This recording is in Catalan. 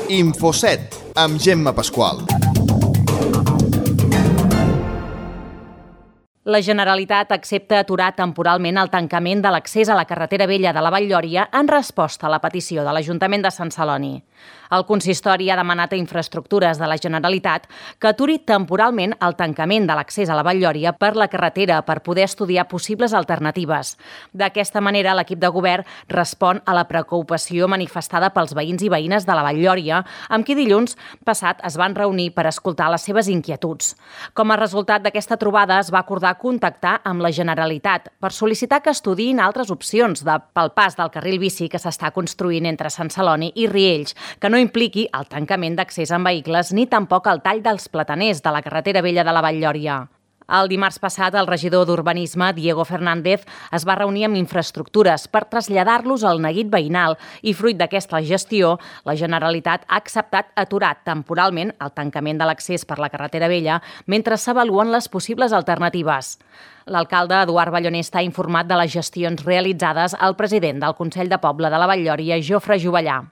Infoset, amb Gemma Pasqual. La Generalitat accepta aturar temporalment el tancament de l'accés a la carretera vella de la Vall-lloria en resposta a la petició de l'Ajuntament de Sant Celoni. El consistori ha demanat a Infraestructures de la Generalitat que aturi temporalment el tancament de l'accés a la Vall-lloria per la carretera per poder estudiar possibles alternatives. D'aquesta manera, l'equip de govern respon a la preocupació manifestada pels veïns i veïnes de la Vall-lloria, amb qui dilluns passat es van reunir per escoltar les seves inquietuds. Com a resultat d'aquesta trobada, es va acordar contactar amb la Generalitat per sol·licitar que estudiïn altres opcions pel pas del carril bici que s'està construint entre Sant Celoni i Riells, que no impliqui el tancament d'accés amb vehicles ni tampoc el tall dels plataners de la carretera vella de la Vall-lloria. El dimarts passat, el regidor d'Urbanisme, Diego Fernández, es va reunir amb Infraestructures per traslladar-los al neguit veïnal i, fruit d'aquesta gestió, la Generalitat ha acceptat aturar temporalment el tancament de l'accés per la carretera vella mentre s'avaluen les possibles alternatives. L'alcalde Eduard Ballonesta ha informat de les gestions realitzades al president del Consell de Poble de la Vall-lloria, Jofre Jovellà.